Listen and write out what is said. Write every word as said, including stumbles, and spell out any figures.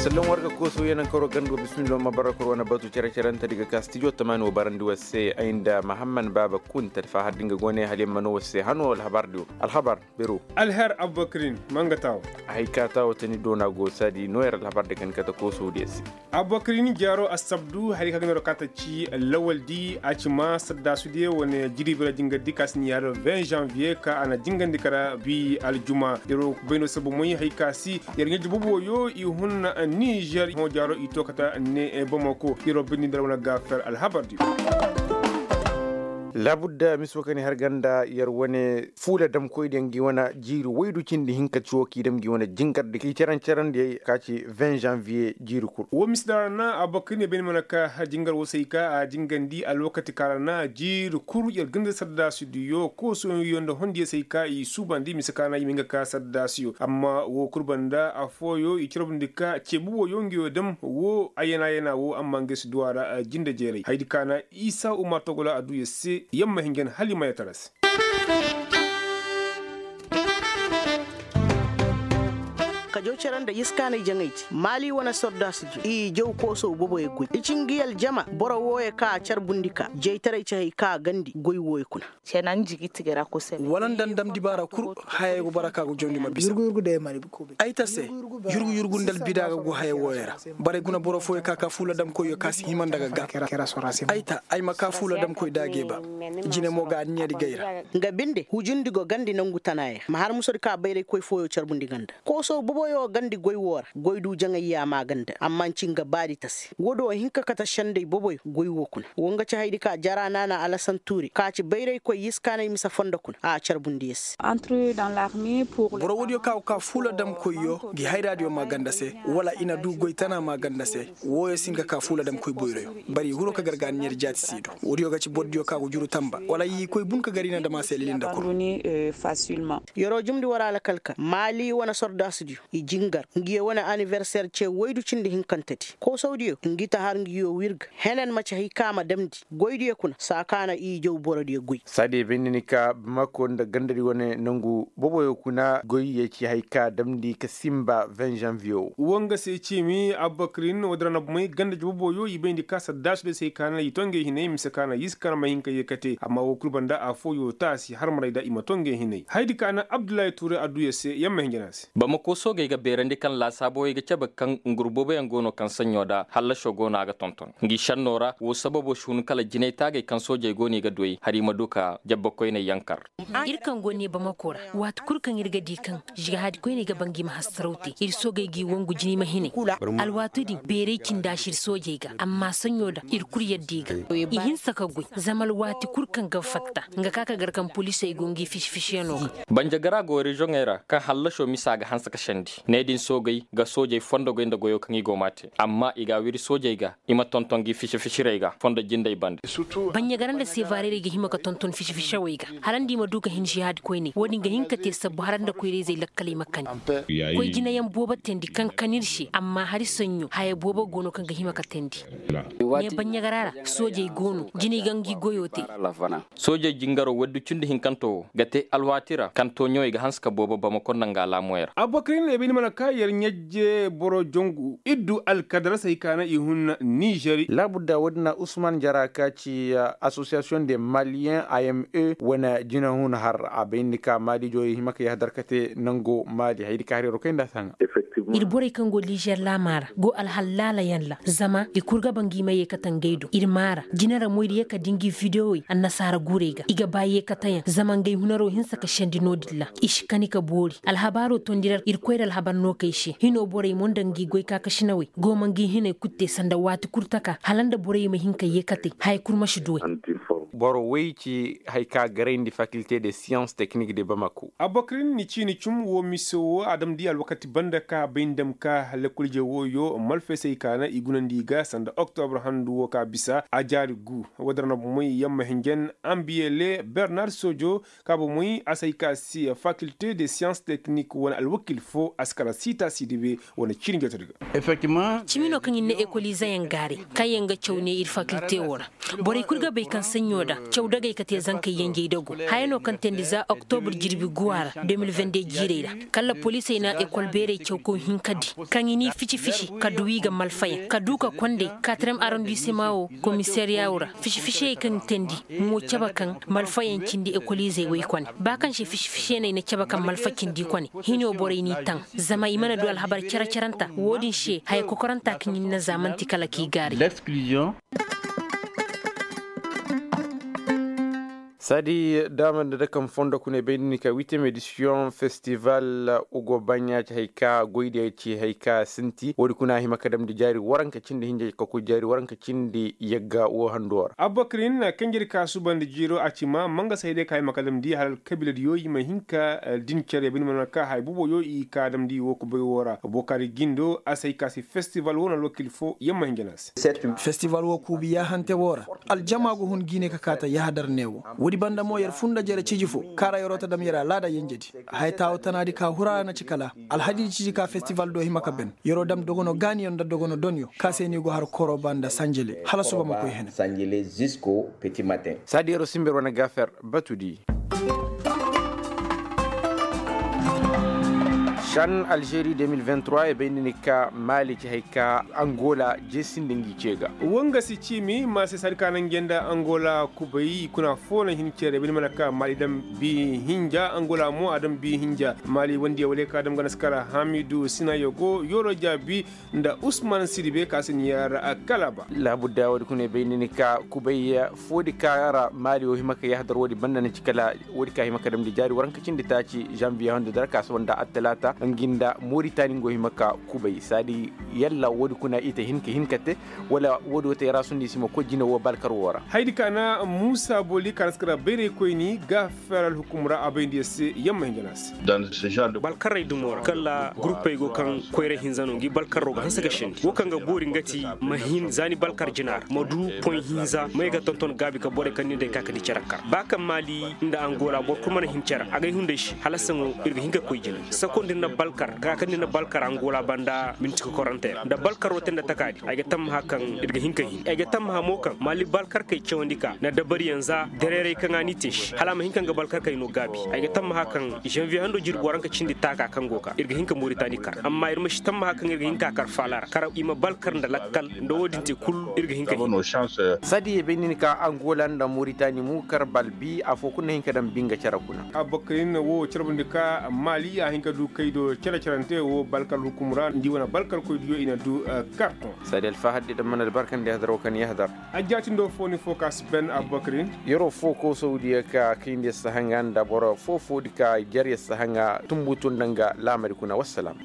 Sallan war ga kooso yanan karo ganda wa bismillah ma bara koro wane batu cere-cerentedi ga ka stijo tamaani wa barandi war se ay nda mahamman baaba kunta alfahar din ga go ne hala yamma no war se hano alhabar diyo. Alhabar bero. Alher abubakarin, manga tawo. Hay ka tawo tani doona go saadi no yar alhabar da kan kata kooso diya se. Abubakarin jaaro assabdu hari ka ga no ra ka ta ci lawal di a ci ma sadda su diya wane jiri bira jingar di ka si ni yar vingt janvier ka a na jingandi kara bi aljuma. Yaro bayno sabu moy hay ka si yar ɲaji bobo yo i hun niger ho jaaro i to kata ne bamako yaro bindi ndar wane ga fer alhabar di. Laabudda miso ka ni har ganda yar wane fuula damkoy diya ngi wane jiiri waydu cindi hinka ci wo k'i dam ngi wane jingar di k'i caran-caran diya ka ci vingt janvier jiiri kul. Wo misi da ra na abubakar ne bayni mana ka har jingar wo se ay ka a jingandi alwakati ka ra na jiiri kul yar ganda sadda su diyo kooso yo nda hondiyo se ay ka i suubandi mise ka na i ma hin ga ka sadda su yo amma wo kul banda affooyo i carbundi ka ceebu wo yo ngi yo dam wo ayana ayana wo amma ngi si du a ra jinde jeeray haydi ka na isa umar togola a du ya se yamma hinjan hala i ma ya tara se. Ka jaw cere nda yiskaanay jaŋay te maali wane sordaasi di i jaw koosow boboyo goy i ci ngi aljama boro wooyo ka a carbundi ka jaytaray ci hay ka a gandi goy wooyo kuna. Wala nda ndam dibaara kul hayey go bara ka go jawndi ma bisa. Ay ta se yurgu yurgu nda albida ga go haya wooyo ra. Borey guna boro fooyo ka ka fuula damkoyyo ka si hima nda ga ga. Ay ta ay ma ka fuula damkoy daagey ba. Jine mo ga anniya di gay ra. Nga binde hujundi go gandi nangu tanaaya ma har musodi ka bayraykoy fooyo carbundi ganda kooso boboyo gandi goy woo ra goy du jaŋay yaama ganda amma nci nga baadi ta se woodi wo hin ka kate sendey boboyo goy woo kuna. Wo nga ci haydi ka jara naana alasan tuuri ka ci bayraykoy yiskaanay mise fondo kuna a carbundi ya se. Boro woodiyo ka go ka fuula damkoyyo ngi hayraadiyo maa ganda se wala i na du goy tana maa ganda se. Wooyo si nga ka fuula damkoy boyroyo bari i huro ka gar ga anniya di jaati si i do. Woodiyo ga ci borodiyo ka go juru tamba wala i koy bun ka gar i na dam a se lilinda kul. Yeroo jumndi war alkal ka maali wane sordaasidiyo i jingar ngiyo wane aniberseer ce woydu cindi hinkantedi koosawdiyo ngi ta har ngiyo wirga. Henen maci hay ka a ma damndi goydiyo kuna saa ka na i jaw borodiyo goy. Saadiyo bay ni ni ka bamako nda gandadi wane nangu boboyo kuna goydiyo ci hay ka a damndi ka simba vingt janvier wo. Woo nga se ciimi abubakar nin woodi ra na bomey gandadi boboyo i bayndi ka saddaasudiyo se hay ka na i to ngey hinay mise ka na yiskaana ma hin ka yeekate amma woo kul banda affooyo taasi harmarayda i ma to ngey hinay haydi ka na abdullahi tuuray adduya se yamma hinja na a se. Bamako soogey ga beerandi kaŋ laasaaboyey ga cabe kaŋ ngur booboyaŋ go no kaŋ saɲɲo nda hallasoo go no a ga tonton ngi šennoo ra woo sababoo si hun kala jinay taagey kaŋ soojey go no i ga du ay hala i ma du ka jabbakoyney yankar. Ir kaŋ go ne bamako ra waati kul kaŋ ir ga di kaŋ jihaadi koyney ga ba ngi ma hassaraw te ir soogey g'i wangu jinay ma hinay. Alwaati din beeray cindi a si ir soojey ga amma saɲɲo nda ir kul yadda i ga i hinsa ka goy zama alwaati kul kaŋ ga fatta nga ka ka gar kaŋ poliisey go ngi fisi-fisiyanoo ga. Banjagara go reziyoŋey ra kaŋ hallasoo misa ga hanse ka sendi ne din soogey ga soojey fondogey nda goyoo kaŋ i go m'a te amma i g'a wiri soojey ga i ma tonton ngi fisi-fisirey ga fondo jindey bande. Banjagara nda seevaarey ga hima ka tonton fisi-fisawey ga hala nda i ma du ka hin jihaadi koyney woo din ga hin ka te sabbu hala nda koyra-izey lakkaley ma kani. Koy jinayaŋ boobo teendi kaŋ kan ir se amma hari saɲɲo haya boobo go no kaŋ ga hima ka teendi. Ne banjagara ra soojey go no jinay ga ngi goyoo te. Soojey jingaroo waddu cindi hinkantoo woo ga te alwaati ra kaŋ tooɲowey ga hanse ka boobo bamako nda nga alaamoyey ra. Abubakar i ne bay ni mana ka yer ɲajje boro jongu iddu alkadaras hay ka na i hun nizer. Laabudda woodin na usman jara ka ci asosiyasiyoŋ de maliyen a m e wane jinahun har a bay ni ka maali joyey hima ka yahadar ka te nango maali haydi ka har yeroo kay nda a si haŋa. Ir borey kaŋ go nizer laamaa ra go alhal laalayaŋ ra zama i kul ga ba ngi ma yeekate ngey do ir maa ra jina ra mo ir yee ka di ngi videwey annasaara guurey ga i ga ba yeekateyaŋ zama ngey hunaroo hinsa ka sendi no-din ra i si kani ka boori alhabaaroo tondi ra ir koyra alhabar no kay se hinoo borey mo nda ngi goy kaakasinawey go ma ngi hinay kul te sanda waati kul taka hala nda borey ma hin ka yeekate haya kul ma si duwey. Boro wey ci haya ka garayndi fakilte de siyans teknik de bamako. Abubakar ni ciini cum woo mise woo a damndi alwakati banda ka bay nda ma ka lekkol-ije wooyo malfeesey ka na i gunandi i ga sanda oktobra handu woo ka bisa a jaari gu. Woodin ra na bomey yamma hinjan ambiyele bernar sojo ka bomey a si hay ka se fakilte de siyans teknik wane alwakil foo a si kala siita si dibe wane ciini jotodi ga. Cimi no kaŋ ir na ekolizeyaŋ gaaray kaŋyaŋ ga caw ne ir fakilte woo ra. Borey kul ga bay kaŋ saɲɲo Caw dagay ka te zankey yenjey dagu haya no kaŋ teendi za oktobur jirbi guwa ra de mil vende jiirey ra. Kala poliisey na ekol beerey caw ka hin ka di kaŋ i n'i fici fici ka du i ga malfayaŋ ka du ka kondey katrem arondisema wo komisariya wo ra. Fici ficiyey kaŋ teendi mo cabe kaŋ malfayaŋ cindi ekoliizey woy kone ba kaŋ se fici ficiyaney na cabe kaŋ malfa cindi kone. Hino borey n'i taŋ zama i mana du alhabar care caranta wo-din se haya kokoranta kaŋ i na zaamanti kala k'i gaari. Saadi daama nda dakam fondo kuna i bay nda ni ka huitième édition festival ugo baɲa ci hay ka goydiya ci hay ka sinti wo-di kuna a hima ka damndi jaari waranka cindi hinja ka koy jaari waranka cindi yagga wo hando ra. Abubakar nin na kanjedi ka suubandi jiiro a ci ma manga se hay day ka a hima ka damndi hala alkabiila diyo i ma hin ka din care bine mana ka hay bubo yo i ka damndi wo kubay wo ra bokari gindo a se hay ka se festival wo na alwakil fo yamma hinja na a se. Festival wo kuubi yaahante wo ra aljama go hun jiine ka kaa ta yahadar ne wo. Woodi banda mo yer funda jere ciji fo kaŋ ra yer'o ta dam yer alaada yenjedi. Haya taawo tanaadi ka hura na ci kala alhadidi ciji ka festival do hima ka ben. Yer'o dam dogono gaaniyaŋ nda dogono donyo ka se no i go har koroba nda sanjele hala suba ma koy hene. Saadi yer'o simber wane gaafer batudi. Shan alžeri de mil vingt trois e bay nda ni ka maali ci hay ka angola jeesindi ngi ce ga. Wanga si ciimi ma se saadi ka naŋ jenda angola kubay i kuna fo na hin cere bine mana ka maali dam bi hinja angola mo a dam bi hinja maali wandiya wala ka dam gana si kara hamidu sinayo go yoro jaabi nda usman siribe ka si ni yaara a kalaba. Laabudda woodi kuna i bay nda ni ka kubay foodi ka ra maali wo hima ka yahadar woodi banda na ci kala woodi ka hima ka damndi jaari waranka cindi taaci janviye hando dara ka si wanda attalaata ngi nda moritani ngo hima ka kubay saadi yalla woodi kuna i te hin ka hin ka te wala woodi wo te ra sundi si ma koy jine wo balkar wo ra. Haydi ka na muusa booli ka na si kara bayray koyni ga feer alhukum ra a bayndi yer se yamma hinja na a se. Balkarrey dumo ra kala guruppey go kaŋ koyra hinza no ngi balkarro ga hanse ga sendi wo kaŋ ga boori nga ti ma hin za ni balkar jina ra ma du poy hinza may ga tonton gaabi ka borey kaŋ ni day ka ka di care kar ba kaŋ maali nda angola boro kulu mana hin care agay hunday se hala saŋo ir ga hin ka koy jina sakondi nda balkar ka ka ni nda balkar angola banda minti kokorantey ra nda balkar wo te nda takaadi ay ga tammaha kaŋ ir ga hin ka hin ay ga tammaha mo kaŋ maali balkar kay cawandi ka nda dabariyaŋ za dareeray kaŋ a n'i te se hala a ma hin kaŋ ga balkar kay no gaabi ay ga tammaha kaŋ janviye hando jirbi waranka cindi taaka kaŋ go ka ir ga hin ka moritani kar amma ir ma si tammaha kaŋ ir ga hin ka kar faala ra kar i ma balkar nda lakkal nda wo-din te kul ir ga hin ka hin. Saadi ye bay nin ka angola nda moritani mu kar balbi afo kul na hin ka daŋ binga care kuna. Abubakar nin na wo carbundi ka maali a hin ka du kay do care carante wo balkar hukum ra nda i wane balkar koy diyo i na du karton. Saadi alfahad di daŋ mana albarkandi hadar wo kaŋ i hadar. Ajjaatindo fo ni fo ka si ben abubakar nin. Yeroo fo ko saudiya ka kayndi sahaŋa nda boro fo fo di ka jar ya sahaŋa tumbutu nda nga laamari kuna wassalam.